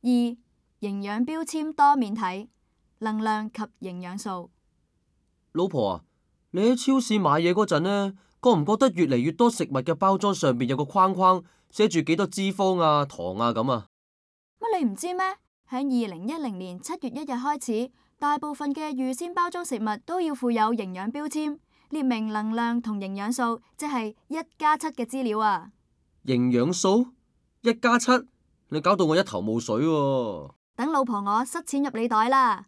二、營養標籤多面睇，能量及營養素。老婆啊，你喺超市買嘢嗰陣呢，覺唔覺得越嚟越多食物嘅包裝上邊有個框框，寫住幾多脂肪啊、糖啊咁啊？乜你唔知咩？喺2010年7月1日開始，大部分嘅預先包裝食物都要附有營養標籤，列明能量同營養素，即係1+7嘅資料啊。營養素1+7，你搞到我一頭霧水喎。等老婆我塞錢入你袋啦。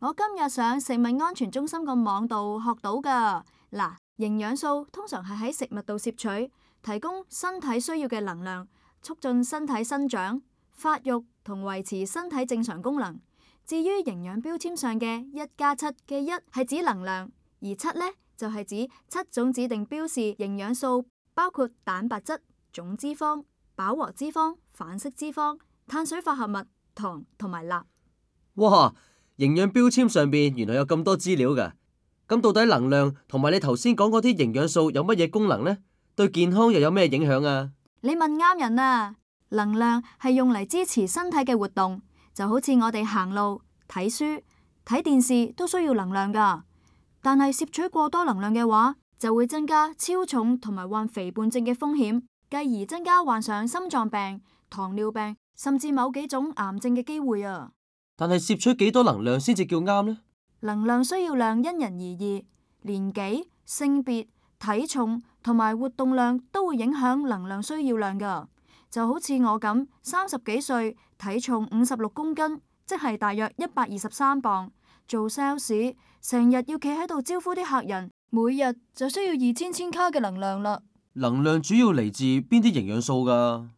我今日上食物安全中心個網度學到噶。嗱，營養素通常係喺食物度攝取，提供身體需要嘅能量，促進身體生長、發育同維持身體正常功能。至於營養標籤上嘅1+7嘅1係指能量，而7呢就係指7種指定標示營養素，包括蛋白質、總脂肪、飽和脂肪、反式脂肪、碳水化合物、糖同埋鈉。哇！營養標籤上邊原來有咁多資料㗎，咁到底能量同埋你頭先講嗰啲營養素有乜嘢功能呢？對健康又有咩影響啊？你問啱人啦！能量係用嚟支持身體嘅活動，就好似我哋行路、睇書、睇電視都需要能量㗎。但係攝取過多能量嘅話，就會增加超重同埋患肥胖症嘅風險，繼而增加患上心臟病、糖尿病甚至某幾種癌症嘅機會啊！但係攝取幾多能量先至叫啱呢？能量需要量因人而異，年紀、性別、體重同埋活動量都會影響能量需要量㗎。就好似我咁，30幾歲，體重56公斤，即係大約123磅，做 sales，成日要企喺度招呼啲客人，每日就需要2000千卡嘅能量啦。能量主要嚟自邊啲營養素㗎？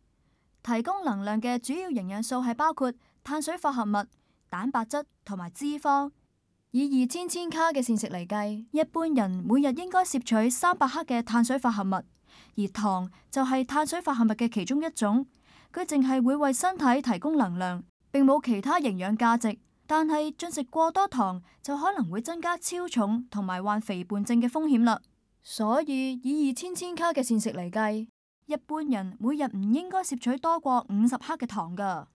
提供能量嘅主要營養素係包括碳水化合物、蛋白質同埋脂肪。以2000千卡嘅膳食嚟計，一般人每日應該攝取300克嘅碳水化合物，而糖就係碳水化合物嘅其中一種。佢淨係會為身體提供能量，並冇其他營養價值。但係進食過多糖就可能會增加超重同埋患肥胖症嘅風險啦。所以以2000千卡嘅膳食嚟計，一般人每日唔應該攝取多過50克嘅糖㗎。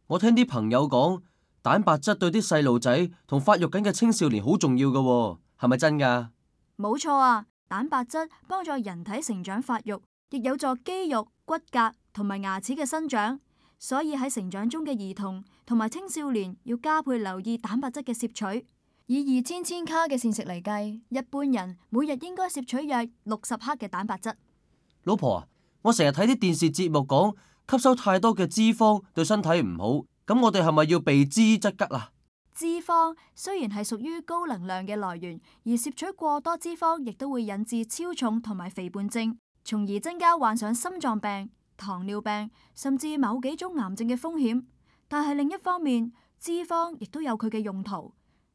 我聽啲朋友講，蛋白質對啲細路仔同發育緊嘅青少年好重要㗎喎，係咪真㗎？冇錯啊，蛋白質幫助人體成長發育，亦有助肌肉、骨骼同埋牙齒嘅生長。所以喺成長中嘅兒童同埋青少年要加倍留意蛋白質嘅攝取。以2000千卡嘅膳食嚟計，一般人每日應該攝取約60克嘅蛋白質。老婆啊，我成日睇啲電視節目講，吸收太多嘅脂肪對身體唔好，咁我哋係咪要避之則吉啊？脂肪雖然係屬於高能量嘅來源，而攝取過多脂肪亦都會引致超重同埋肥胖症，從而增加患上心臟病、糖尿病甚至某幾種癌症嘅風險。但係另一方面，脂肪亦都有佢嘅用途，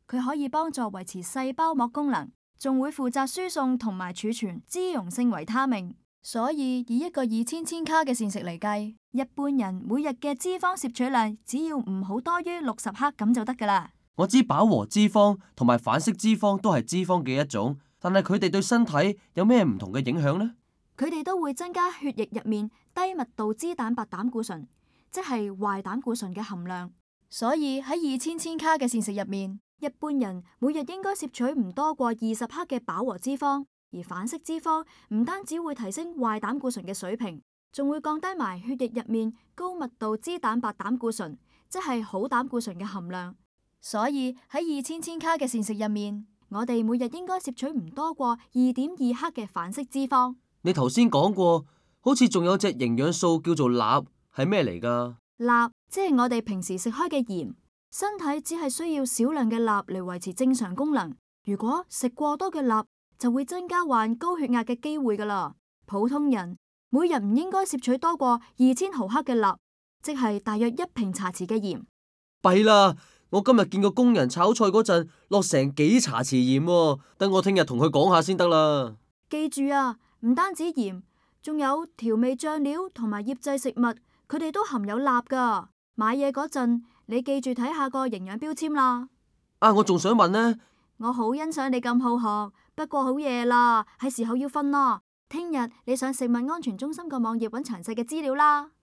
佢可以幫助維持細胞膜功能，仲會負責輸送同埋儲存脂溶性維他命。所以以一個2000千卡嘅膳食嚟計，一般人每日嘅脂肪攝取量只要唔好多於60克咁就得噶啦。我知飽和脂肪同埋反式脂肪都係脂肪嘅一種，但係佢哋對身體有咩唔同嘅影響呢？佢哋都會增加血液入面低密度脂蛋白膽固醇，即係壞膽固醇嘅含量。所以喺2000千卡嘅膳食入面，一般人每日應該攝取唔多過20克嘅飽和脂肪。而反式脂肪唔單止會提升壞膽固醇嘅水平，仲會降低埋血液入面高密度脂蛋白膽固醇，即係好膽固醇嘅含量。所以喺2000千卡嘅膳食入面，我哋每日應該攝取唔多過2.2克嘅反式脂肪。你頭先講過，好似仲有隻營養素叫做鈉，係咩嚟㗎？鈉即係我哋平時食開嘅鹽，身體只係需要少量嘅鈉嚟維持正常功能。如果食過多嘅鈉，就會增加患高血壓嘅機會噶啦。普通人每日唔應該攝取多過2000毫克嘅鈉，即係大約1瓶茶匙嘅鹽。弊啦！我今日見個工人炒菜嗰陣落成幾茶匙鹽喎，等我聽日同佢講下先得啦。記住啊，唔單止鹽，仲有調味醬料同埋醃製食物，佢哋都含有鈉噶。買嘢嗰陣，你記住睇下個營養標籤啦。啊，我仲想問呢。我好欣賞你咁好學，不過好夜啦，係時候要瞓啦。聽日你上食物安全中心個網頁揾詳細嘅資料啦。